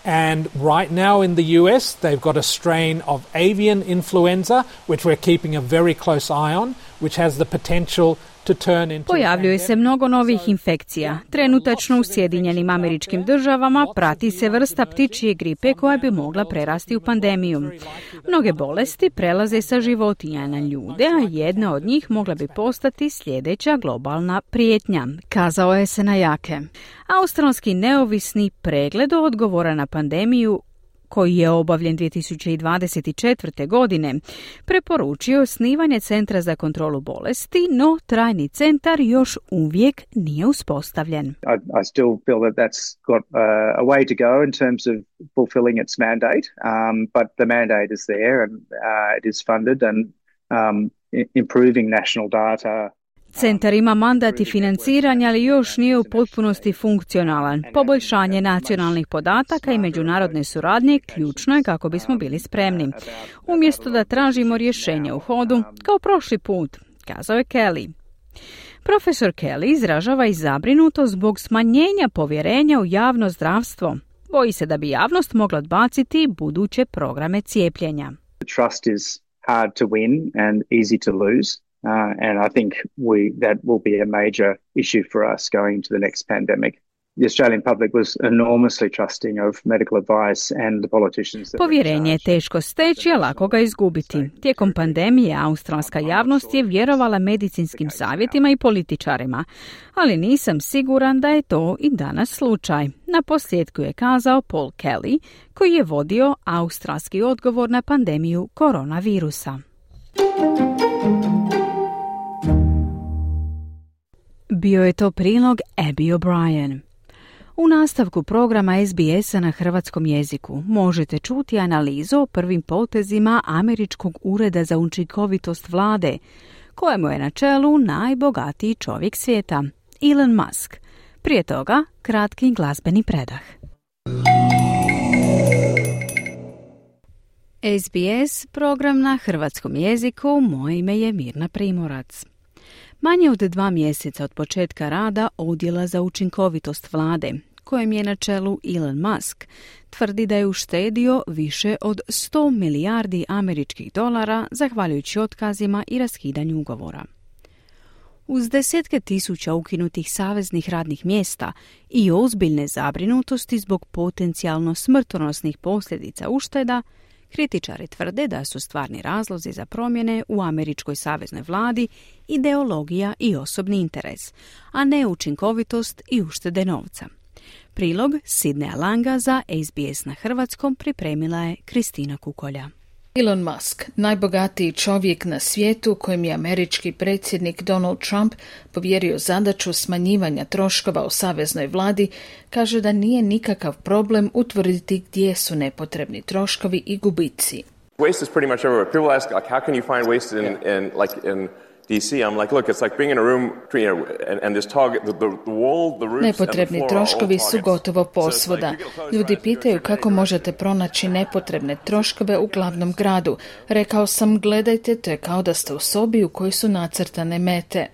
And right now in the US, they've got a strain of avian influenza, which we're keeping a very close eye on, which has the potential to turn into... Pojavljuje se mnogo novih infekcija. Trenutačno u Sjedinjenim Američkim Državama prati se vrsta ptičje gripe koja bi mogla prerasti u pandemiju. Mnoge bolesti prelaze sa životinja na ljude, a jedna od njih mogla bi postati sljedeća globalna prijetnja, kazao je Senayake. Australski neovisni pregled odgovora na pandemiju, koji je obavljen 2024. godine, preporučio osnivanje Centra za kontrolu bolesti, no trajni centar još uvijek nije uspostavljen. I still feel that that's got a way to go in terms of fulfilling its mandate, but the mandate is there and it is funded and improving national data. Centar ima mandat i financiranje, ali još nije u potpunosti funkcionalan. Poboljšanje nacionalnih podataka i međunarodne suradnje ključno je kako bismo bili spremni. Umjesto da tražimo rješenje u hodu, kao prošli put, kazao je Kelly. Profesor Kelly izražava i zabrinutost zbog smanjenja povjerenja u javno zdravstvo. Boji se da bi javnost mogla odbaciti buduće programe cijepljenja. Trust is hard to win and easy to lose. And I think that will be a major issue for us going into the next pandemic. The Australian public was enormously trusting of medical advice and the politicians. Povjerenje je teško steći, a lako ga izgubiti. Tijekom pandemije australska javnost je vjerovala medicinskim savjetima i političarima, ali nisam siguran da je to i danas slučaj. Na posljedku je kazao Paul Kelly, koji je vodio australski odgovor na pandemiju koronavirusa. Bio je to prilog Abby O'Brien. U nastavku programa SBS-a na hrvatskom jeziku možete čuti analizu o prvim potezima Američkog ureda za učinkovitost vlade, kojemu je na čelu najbogatiji čovjek svijeta, Elon Musk. Prije toga, kratki glazbeni predah. SBS, program na hrvatskom jeziku, moje ime je Mirna Primorac. Manje od 2 mjeseca od početka rada Odjela za učinkovitost vlade, kojem je na čelu Elon Musk, tvrdi da je uštedio više od 100 milijardi američkih dolara zahvaljujući otkazima i raskidanju ugovora. Uz desetke tisuća ukinutih saveznih radnih mjesta i ozbiljne zabrinutosti zbog potencijalno smrtonosnih posljedica ušteda, kritičari tvrde da su stvarni razlozi za promjene u američkoj saveznoj vladi ideologija i osobni interes, a ne učinkovitost i uštede novca. Prilog Sidneja Langa za SBS na hrvatskom pripremila je Kristina Kukolja. Elon Musk, najbogatiji čovjek na svijetu kojem je američki predsjednik Donald Trump povjerio zadaću smanjivanja troškova u saveznoj vladi, kaže da nije nikakav problem utvrditi gdje su nepotrebni troškovi i gubici. Waste is pretty much everywhere. People ask, like, how can you find waste in DC? I'm like, look, it's like being in a room, and this target, the wall, the roofs, nepotrebni troškovi su gotovo posvuda. Ljudi pitaju kako možete pronaći nepotrebne troškove u glavnom gradu. Rekao sam, gledajte, to je kao da ste u sobi u kojoj su nacrtane mete.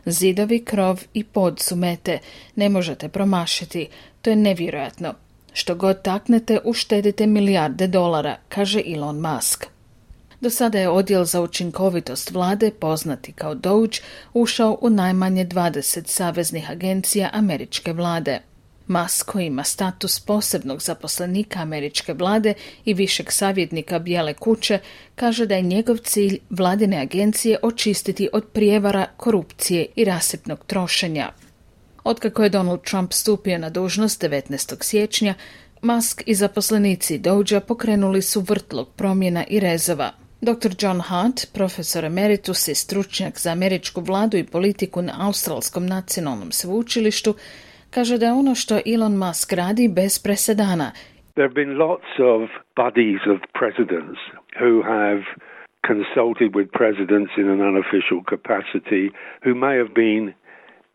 Zidovi, krov i pod su mete. Ne možete promašiti. To je nevjerojatno. Što god taknete, uštedite milijarde dolara, kaže Elon Musk. Do sada je odjel za učinkovitost vlade, poznati kao DOGE, ušao u najmanje 20 saveznih agencija američke vlade. Musk, koji ima status posebnog zaposlenika američke vlade i višeg savjetnika Bijele kuće, kaže da je njegov cilj vladine agencije očistiti od prijevara, korupcije i rasipnog trošenja. Otkako je Donald Trump stupio na dužnost 19. siječnja, Musk i zaposlenici DOGE-a pokrenuli su vrtlog promjena i rezova. Dr. John Hart, profesor emeritus i stručnjak za američku vladu i politiku na Australskom nacionalnom sveučilištu, kaže da je ono što Elon Musk radi bez presedana. There have been lots of buddies of presidents who have consulted with presidents in an unofficial capacity who may have been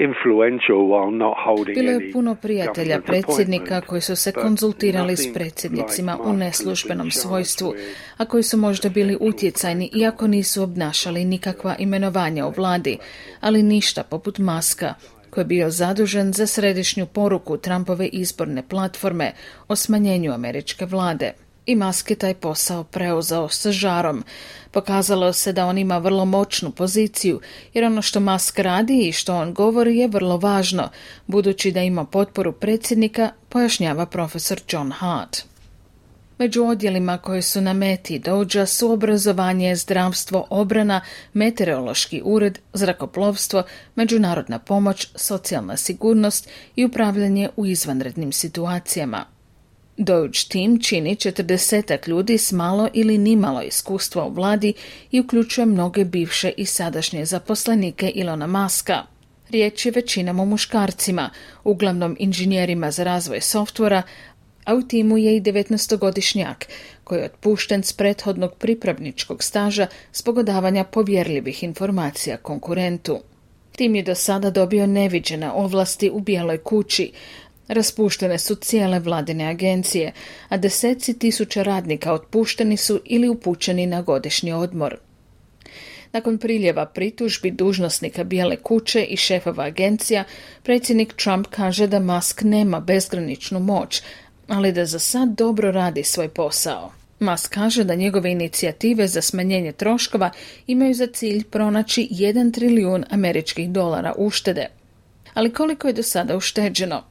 influential while not holding Bilo je any puno prijatelja government predsjednika appointments, koji su se but konzultirali s nothing predsjednicima like u Musk neslužbenom who's been svojstvu, charged with a koji su možda bili utjecajni iako nisu obnašali nikakva imenovanja u vladi, ali ništa poput Muska, koji je bio zadužen za središnju poruku Trumpove izborne platforme o smanjenju američke vlade. I Musk je taj posao preuzeo sa žarom. Pokazalo se da on ima vrlo moćnu poziciju, jer ono što Musk radi i što on govori je vrlo važno, budući da ima potporu predsjednika, pojašnjava profesor John Hart. Među odjelima koji su na meti DOGE-a su obrazovanje, zdravstvo, obrana, meteorološki ured, zrakoplovstvo, međunarodna pomoć, socijalna sigurnost i upravljanje u izvanrednim situacijama. DOGE tim čini 40 ljudi s malo ili nimalo iskustva u vladi i uključuje mnoge bivše i sadašnje zaposlenike Elona Muska. Riječ je većinom o muškarcima, uglavnom inženjerima za razvoj softvera, a u timu je i 19-godišnjak koji je otpušten s prethodnog pripravničkog staža zbog odavanja povjerljivih informacija konkurentu. Tim je do sada dobio neviđene ovlasti u Bijeloj kući. Raspuštene su cijele vladine agencije, a deseci tisuća radnika otpušteni su ili upućeni na godišnji odmor. Nakon priljeva pritužbi dužnosnika Bijele kuće i šefova agencija, predsjednik Trump kaže da Musk nema bezgraničnu moć, ali da za sad dobro radi svoj posao. Musk kaže da njegove inicijative za smanjenje troškova imaju za cilj pronaći 1 trilijun američkih dolara uštede. Ali koliko je do sada ušteđeno?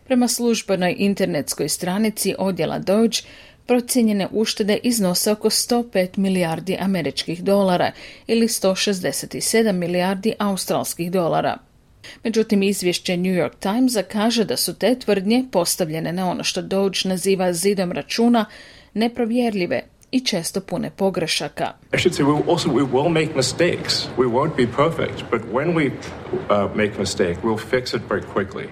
Prema službenoj internetskoj stranici odjela DOGE, procijenjene uštede iznose oko 105 milijardi američkih dolara ili 167 milijardi australskih dolara. Međutim, izvješće New York Timesa kaže da su te tvrdnje postavljene na ono što DOGE naziva zidom računa neprovjerljive i često pune pogrešaka. I should say we will make mistakes. We won't be perfect, but when we make a mistake, we'll fix it very quickly.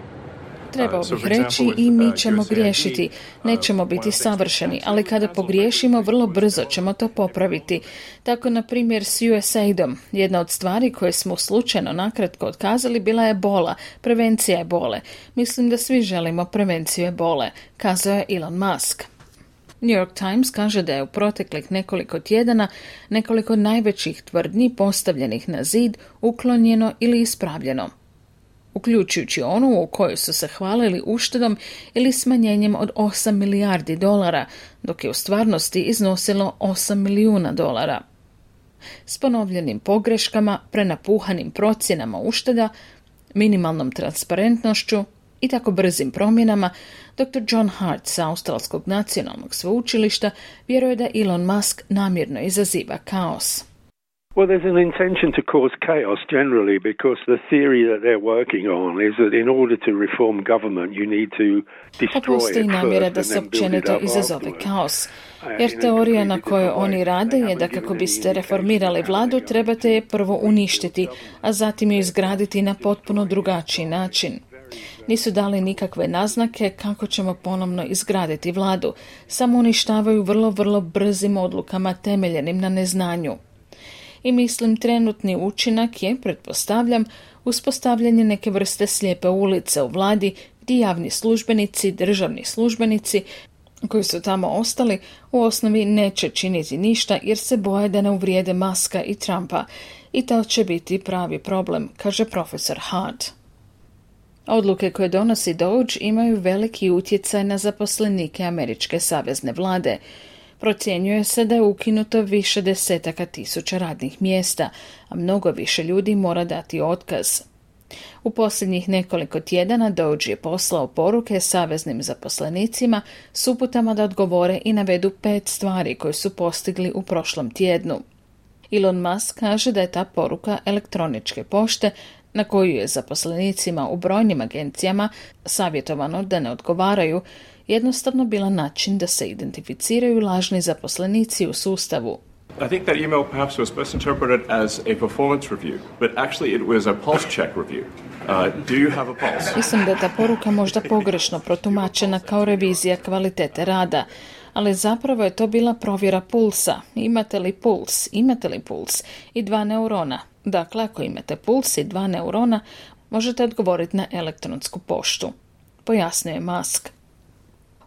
Trebao bih reći i mi ćemo griješiti. Nećemo biti savršeni, ali kada pogriješimo, vrlo brzo ćemo to popraviti. Tako, na primjer, s USAID-om. Jedna od stvari koje smo slučajno nakratko otkazali bila je ebola, prevencija ebole. Mislim da svi želimo prevenciju ebole, kazao je Elon Musk. New York Times kaže da je u proteklih nekoliko tjedana nekoliko najvećih tvrdnji postavljenih na zid uklonjeno ili ispravljeno, uključujući onu u kojoj su se hvalili uštedom ili smanjenjem od 8 milijardi dolara, dok je u stvarnosti iznosilo 8 milijuna dolara. S ponovljenim pogreškama, prenapuhanim procjenama ušteda, minimalnom transparentnošću i tako brzim promjenama, Dr. John Hart sa Australskog nacionalnog sveučilišta vjeruje da Elon Musk namjerno izaziva kaos. Well, there's an intention to cause chaos generally because the theory that they're working on is that in order to reform government you need to destroy Postoji it namjera da first se and then build it općenito up izazove afterwards. kaos, jer teorija na kojoj oni rade je da kako biste reformirali vladu trebate je prvo uništiti, a zatim je izgraditi na potpuno drugačiji način. Nisu dali nikakve naznake kako ćemo ponovno izgraditi vladu, samo uništavaju vrlo brzim odlukama temeljenim na neznanju. I mislim trenutni učinak je, pretpostavljam, uspostavljanje neke vrste slijepe ulice u vladi gdje javni službenici, državni službenici koji su tamo ostali u osnovi neće činiti ništa jer se boje da ne uvrijede Muska i Trumpa i to će biti pravi problem, kaže profesor Hart. Odluke koje donosi Doge imaju veliki utjecaj na zaposlenike američke savezne vlade. Procjenjuje se da je ukinuto više desetaka tisuća radnih mjesta, a mnogo više ljudi mora dati otkaz. U posljednjih nekoliko tjedana Doge je poslao poruke saveznim zaposlenicima s uputama da odgovore i navedu 5 stvari koje su postigli u prošlom tjednu. Elon Musk kaže da je ta poruka elektroničke pošte na koju je zaposlenicima u brojnim agencijama savjetovano da ne odgovaraju, jednostavno bila način da se identificiraju lažni zaposlenici u sustavu. I think that email perhaps was best interpreted as a performance review, but actually it was a pulse check review. Do you have a pulse? Mislim da je ta poruka možda pogrešno protumačena kao revizija kvalitete rada, ali zapravo je to bila provjera pulsa. Imate li puls? Imate li puls? I 2 neurona. Dakle, ako imate puls i 2 neurona, možete odgovoriti na elektronsku poštu, pojasnio je Musk.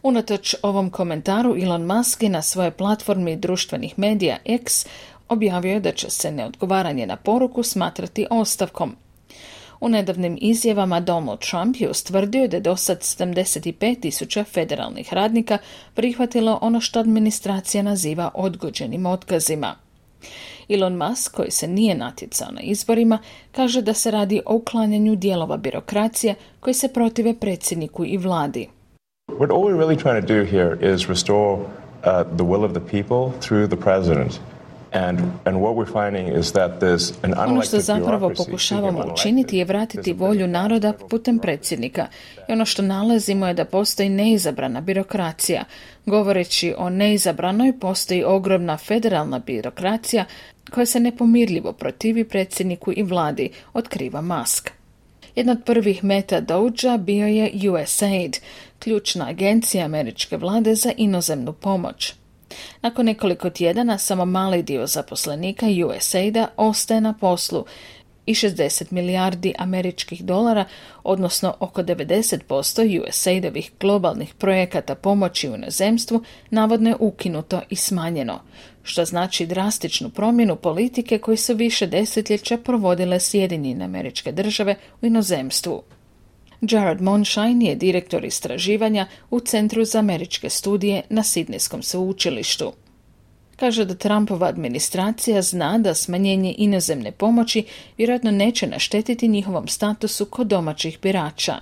Unatoč ovom komentaru, Elon Musk je na svojoj platformi društvenih medija X objavio da će se neodgovaranje na poruku smatrati ostavkom. U nedavnim izjavama Donald Trump je ustvrdio da je dosad 75.000 federalnih radnika prihvatilo ono što administracija naziva odgođenim otkazima. Elon Musk, koji se nije natjecao na izborima, kaže da se radi o uklanjanju dijelova birokracije koji se protive predsjedniku i vladi. What all we're really trying to do here is restore the will of the people through the president. And what we're finding is that there's an unelected Ono što zapravo bureaucracy pokušavamo učiniti je vratiti volju naroda putem predsjednika. I ono što nalazimo je da postoji neizabrana birokracija. Govoreći o neizabranoj, postoji ogromna federalna birokracija koja se nepomirljivo protivi predsjedniku i vladi, otkriva Musk. Jedna od prvih meta Dogea bio je USAID, ključna agencija američke vlade za inozemnu pomoć. Nakon nekoliko tjedana samo mali dio zaposlenika USAID-a ostaje na poslu i 60 milijardi američkih dolara, odnosno oko 90% USAID-ovih globalnih projekata pomoći u inozemstvu, navodno je ukinuto i smanjeno, što znači drastičnu promjenu politike koje su više desetljeća provodile Sjedinjene Američke Države u inozemstvu. Jared Monshine je direktor istraživanja u Centru za američke studije na Sidnejskom sveučilištu. Kaže da Trumpova administracija zna da smanjenje inozemne pomoći vjerojatno neće naštetiti njihovom statusu kod domaćih birača.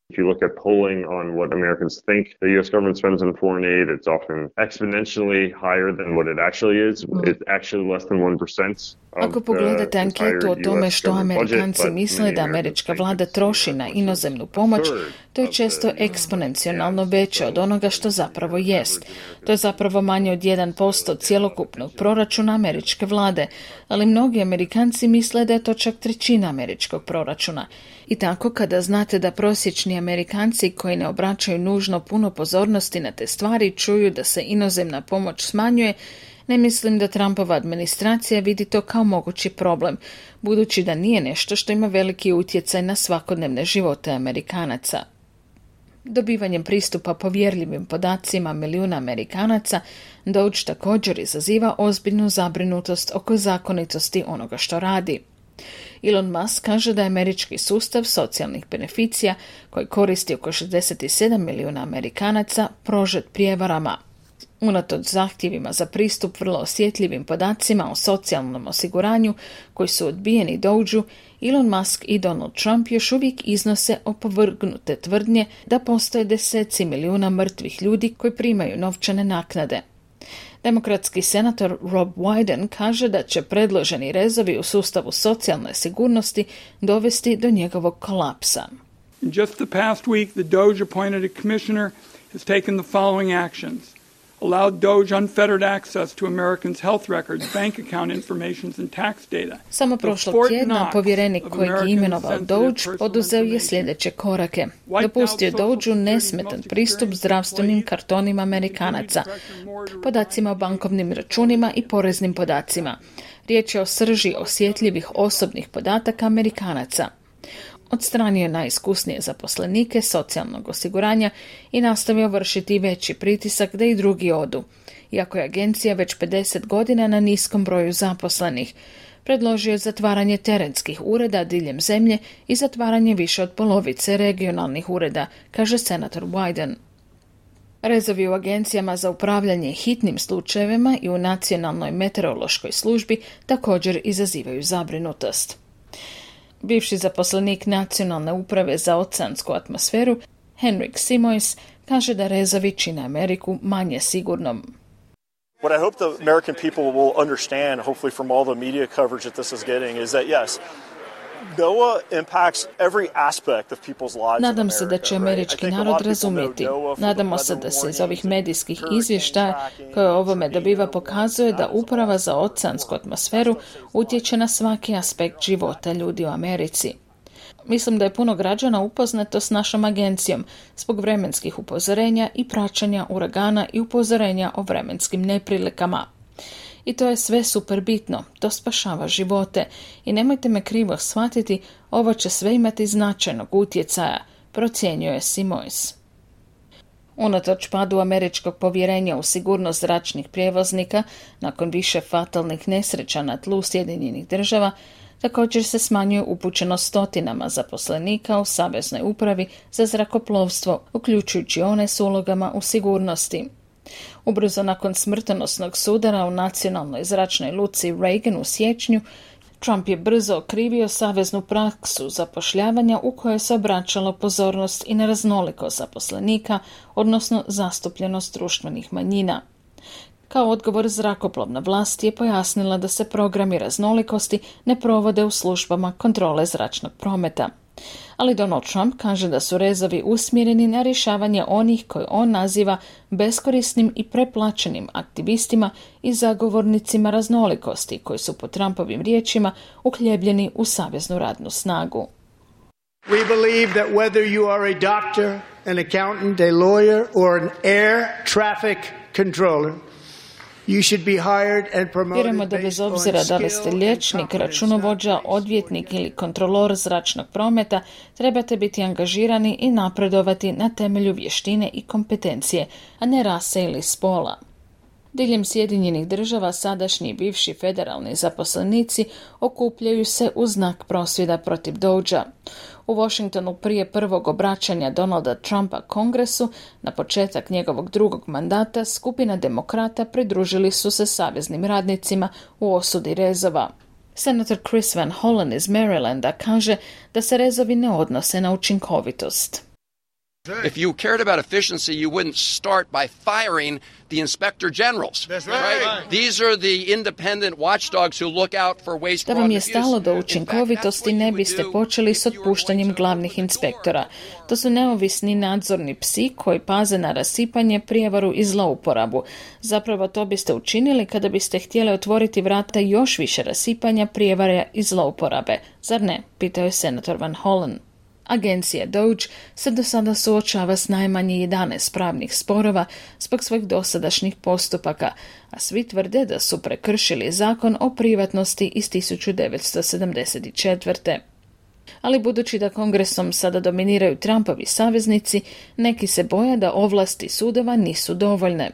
If you look at polling on what Americans think the U.S. government spends on foreign aid, it's often exponentially higher than what it actually is. It's actually less than 1%. Ako pogledate anketu o tome što Amerikanci misle da američka vlada troši na inozemnu pomoć, to je često eksponencijalno veće od onoga što zapravo jest. To je zapravo manje od 1% cjelokupnog proračuna američke vlade, ali mnogi Amerikanci misle da je to čak 1/3 američkog proračuna. I tako kada znate da prosječni Amerikanci koji ne obraćaju nužno puno pozornosti na te stvari čuju da se inozemna pomoć smanjuje, ne mislim da Trumpova administracija vidi to kao mogući problem, budući da nije nešto što ima veliki utjecaj na svakodnevne živote Amerikanaca. Dobivanjem pristupa povjerljivim podacima milijuna Amerikanaca, Doge također izaziva ozbiljnu zabrinutost oko zakonitosti onoga što radi. Elon Musk kaže da je američki sustav socijalnih beneficija, koji koristi oko 67 milijuna Amerikanaca, prožet prijevarama. Unatoč zahtjevima za pristup vrlo osjetljivim podacima o socijalnom osiguranju koji su odbijeni Dogeu, Elon Musk i Donald Trump još uvijek iznose opovrgnute tvrdnje da postoje deseci milijuna mrtvih ljudi koji primaju novčane naknade. Demokratski senator Rob Wyden kaže da će predloženi rezovi u sustavu socijalne sigurnosti dovesti do njegovog kolapsa. In just the past week, the Doge appointed a commissioner has taken the following actions. Allowed Doge unfettered access to Americans' health records, bank account informations and tax data. Samo prošlog tjedna povjerenik kojeg je imenovao Doge poduzeo je sljedeće korake. Dopustio Dogeu nesmetan pristup zdravstvenim kartonima Amerikanaca, podacima o bankovnim računima i poreznim podacima. Riječ je o srži osjetljivih osobnih podataka Amerikanaca. Odstranio najiskusnije zaposlenike socijalnog osiguranja i nastavio vršiti veći pritisak da i drugi odu, iako je agencija već 50 godina na niskom broju zaposlenih. predložio je zatvaranje terenskih ureda diljem zemlje i zatvaranje više od polovice regionalnih ureda, kaže senator Wyden. Rezovi u agencijama za upravljanje hitnim slučajevima i u nacionalnoj meteorološkoj službi također izazivaju zabrinutost. Bivši zaposlenik Nacionalne uprave za oceansku atmosferu, Henrik Simoes, kaže da rezovi čine Ameriku manje sigurnom. What I hope the American people will understand, hopefully from all the media coverage that this is getting, is that yes, NOAA impacts every aspect of people's lives. Nadam se da će američki narod razumjeti. Nadamo se da se iz ovih medijskih izvještaja koje ovome dobiva pokazuje da Uprava za oceansku atmosferu utječe na svaki aspekt života ljudi u Americi. Mislim da je puno građana upoznato s našom agencijom zbog vremenskih upozorenja i praćenja uragana i upozorenja o vremenskim neprilikama. I to je sve super bitno, to spašava živote i nemojte me krivo shvatiti, ovo će sve imati značajnog utjecaja, procjenjuje Simoes. Unatoč padu američkog povjerenja u sigurnost zračnih prijevoznika nakon više fatalnih nesreća na tlu Sjedinjenih Država, također se smanjuje upućenost stotinama zaposlenika u Saveznoj upravi za zrakoplovstvo, uključujući one s ulogama u sigurnosti. Ubrzo nakon smrtonosnog sudara u nacionalnoj zračnoj luci Reagan u siječnju, Trump je brzo okrivio saveznu praksu zapošljavanja u kojoj se obraćalo pozornost i na raznolikost zaposlenika, odnosno zastupljenost društvenih manjina. Kao odgovor, zrakoplovna vlast je pojasnila da se programi raznolikosti ne provode u službama kontrole zračnog prometa. Ali Donald Trump kaže da su rezovi usmjereni na rješavanje onih koje on naziva beskorisnim i preplaćenim aktivistima i zagovornicima raznolikosti koji su po Trumpovim riječima uhljebljeni u saveznu radnu snagu. We believe that whether you are a doctor, an accountant, a lawyer or an air traffic controller, vjerujemo da bez obzira da li ste liječnik, računovođa, odvjetnik ili kontrolor zračnog prometa, trebate biti angažirani i napredovati na temelju vještine i kompetencije, a ne rase ili spola. Diljem Sjedinjenih Država sadašnji i bivši federalni zaposlenici okupljaju se u znak prosvjeda protiv Dougea. U Washingtonu prije prvog obraćanja Donalda Trumpa Kongresu, na početak njegovog drugog mandata, skupina demokrata pridružili su se saveznim radnicima u osudi rezova. Senator Chris Van Hollen iz Marylanda kaže da se rezovi ne odnose na učinkovitost. If you cared about efficiency, you wouldn't start by firing the inspector generals. That's right. These are the independent watchdogs who look out for waste. Da vam je stalo do učinkovitosti, ne biste počeli s otpuštanjem glavnih inspektora. To su neovisni nadzorni psi koji paze na rasipanje, prijevaru i zlouporabu. Zapravo to biste učinili kada biste htjeli otvoriti vrata još više rasipanja, prijevare i zlouporabe. Zar ne? Pitao je senator Van Hollen. Agencija Doge se do sada suočava s najmanje 11 pravnih sporova zbog svojih dosadašnjih postupaka, a svi tvrde da su prekršili zakon o privatnosti iz 1974. Ali budući da Kongresom sada dominiraju Trumpovi saveznici, neki se boje da ovlasti sudova nisu dovoljne.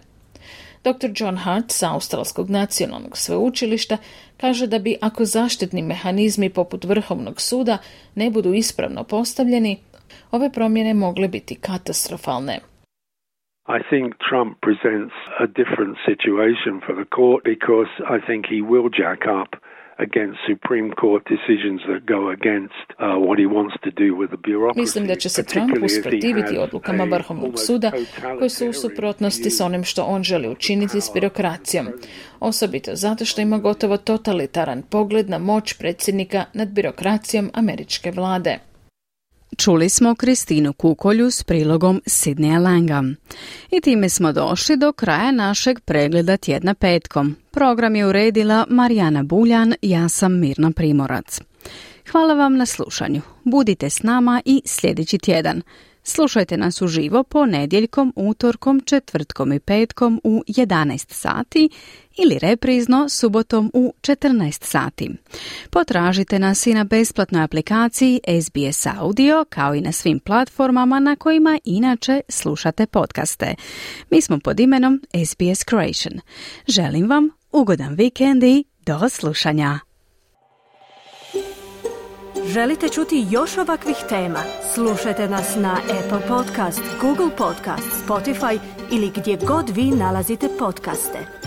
Dr. John Hart sa Australskog nacionalnog sveučilišta kaže da bi, ako zaštitni mehanizmi poput Vrhovnog suda ne budu ispravno postavljeni, ove promjene mogle biti katastrofalne. I think Trump presents a different situation for the court because I think he will jack up against Supreme Court decisions that go against what he wants to do with the bureaucracy. Mislim da će se Trump usprotiviti odlukama Vrhovnog suda koji su u suprotnosti s onim što on želi učiniti s birokracijom. Osobito zato što ima gotovo totalitaran pogled na moć predsjednika nad birokracijom američke vlade. Čuli smo Kristinu Kukolju s prilogom Sidneya Langa. I time smo došli do kraja našeg pregleda tjedna petkom. Program je uredila Marijana Buljan, ja sam Mirna Primorac. Hvala vam na slušanju. Budite s nama i sljedeći tjedan. Slušajte nas uživo ponedjeljkom, utorkom, četvrtkom i petkom u 11 sati ili reprizno subotom u 14 sati. Potražite nas i na besplatnoj aplikaciji SBS Audio kao i na svim platformama na kojima inače slušate podcaste. Mi smo pod imenom SBS Croatian. Želim vam ugodan vikend i do slušanja. Želite čuti još ovakvih tema? Slušajte nas na Apple Podcast, Google Podcast, Spotify ili gdje god vi nalazite podcaste.